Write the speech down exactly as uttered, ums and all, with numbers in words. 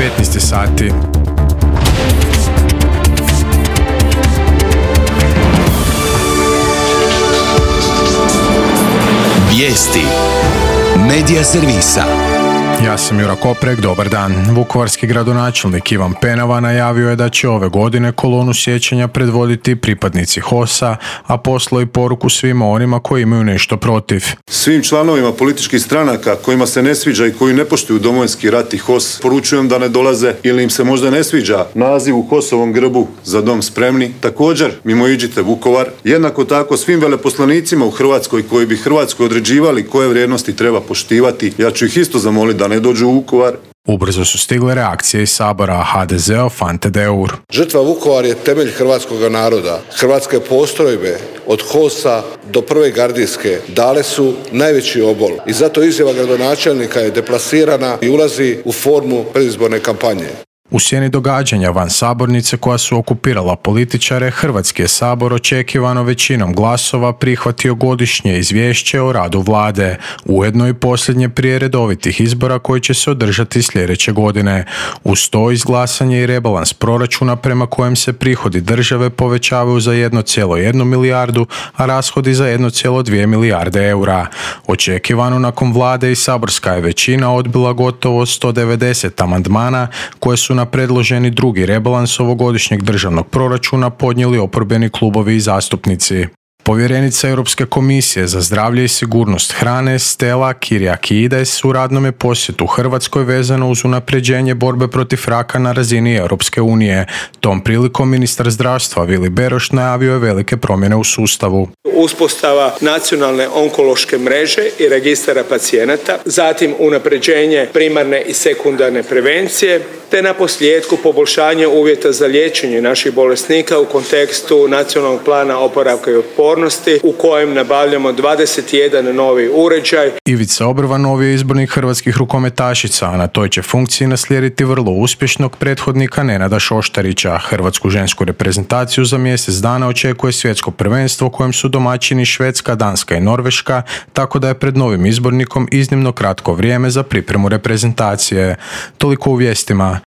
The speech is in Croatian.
petnaest sati. Vijesti Medija servisa. Ja sam Jura Koprek, dobar dan. Vukovarski gradonačelnik Ivan Penava najavio je da će ove godine kolonu sjećanja predvoditi pripadnici H O S-a, a poslao i poruku svima onima koji imaju nešto protiv. Svim članovima političkih stranaka kojima se ne sviđa i koji ne poštuju Domovinski rat i H O S, poručujem da ne dolaze ili im se možda ne sviđa naziv u H O S-ovom grbu Za dom spremni. Također, mimoiđite Vukovar. Jednako tako svim veleposlanicima u Hrvatskoj koji bi Hrvatskoj određivali koje vrijednosti treba poštivati, ja ću ih isto zamoliti da ne dođu u Vukovar. Ubrzo su stigle reakcije iz Sabora, H D Z-ov Ante Deur. Žrtva Vukovar je temelj hrvatskog naroda. Hrvatske postrojbe od H O S-a do prve gardijske dale su najveći obol i zato izjava gradonačelnika je deplasirana i ulazi u formu predizborne kampanje. U sjeni događanja van sabornice koja su okupirala političare, Hrvatski je sabor očekivano većinom glasova prihvatio godišnje izvješće o radu vlade, ujedno i posljednje prije redovitih izbora koji će se održati sljedeće godine. Uz to izglasan je i rebalans proračuna prema kojem se prihodi države povećavaju za jednu zarez jednu milijardu, a rashodi za jednu zarez dvije milijarde eura. Očekivano nakon vlade i saborska je većina odbila gotovo sto devedeset amandmana koje su na predloženi drugi rebalans ovogodišnjeg državnog proračuna podnijeli oporbeni klubovi i zastupnici. Povjerenica Europske komisije za zdravlje i sigurnost hrane Stella Kyriakides u radnom je posjetu Hrvatskoj vezano uz unapređenje borbe protiv raka na razini Europske unije. Tom prilikom ministar zdravstva Vili Beroš najavio je velike promjene u sustavu. Uspostava nacionalne onkološke mreže i registara pacijenata, zatim unapređenje primarne i sekundarne prevencije, te na posljedku poboljšanje uvjeta za liječenje naših bolesnika u kontekstu nacionalnog plana oporavka i otpornosti u kojem nabavljamo dvadeset jedan novi uređaj. Ivica Obrva novi je izbornik hrvatskih rukometašica, a na toj će funkciji naslijediti vrlo uspješnog prethodnika Nenada Šoštarića. Hrvatsku žensku reprezentaciju za mjesec dana očekuje svjetsko prvenstvo kojem su domaćini Švedska, Danska i Norveška, tako da je pred novim izbornikom iznimno kratko vrijeme za pripremu reprezentacije. Toliko u vijestima.